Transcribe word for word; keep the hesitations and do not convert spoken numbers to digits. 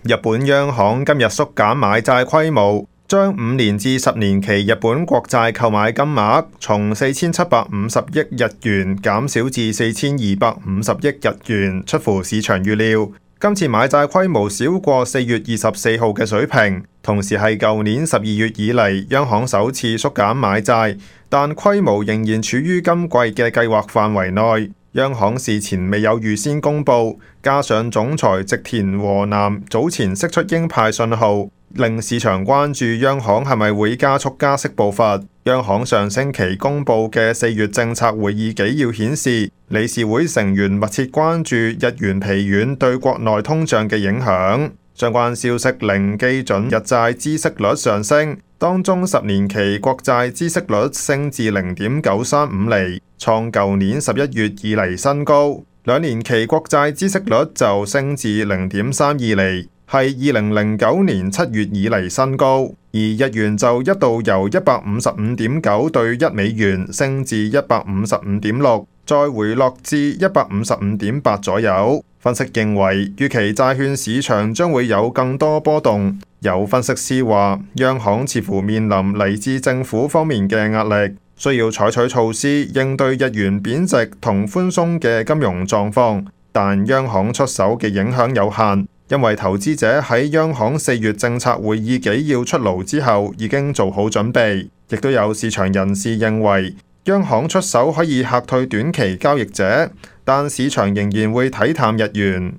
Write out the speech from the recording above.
日本央行今日縮減買債規模，將五年至十年期日本國債購買金額從四千七百五十億日元減少至四千二百五十億日元，出乎市場預料。今次買債規模少過四月二十四號嘅水平，同時係舊年十二月以嚟央行首次縮減買債，但規模仍然處於今季嘅計劃範圍內。央行事前未有預先公佈，加上總裁植田和男早前釋出鷹派信號，令市場關注央行係咪會加速加息步伐。央行上星期公佈嘅四月政策會議紀要顯示，理事會成員密切關注日元疲軟對國內通脹嘅影響。相關消息令基準日債孳息率上升，當中十年期國債孳息率升至零點九三五厘，創舊年十一月以嚟新高；兩年期國債孳息率就升至零點三二厘，係二零零九年七月以嚟新高。而日元就一度由一百五十五點九對一美元升至一百五十五點六，再回落至一百五十五點八左右。分析認為，預期債券市場將會有更多波動。有分析師話，央行似乎面臨嚟自政府方面嘅壓力，需要採取措施應對日元貶值同寬鬆嘅金融狀況，但央行出手嘅影響有限，因為投資者喺央行四月政策會議紀要出爐之後已經做好準備。亦都有市場人士認為，央行出手可以嚇退短期交易者，但市場仍然會睇淡日元。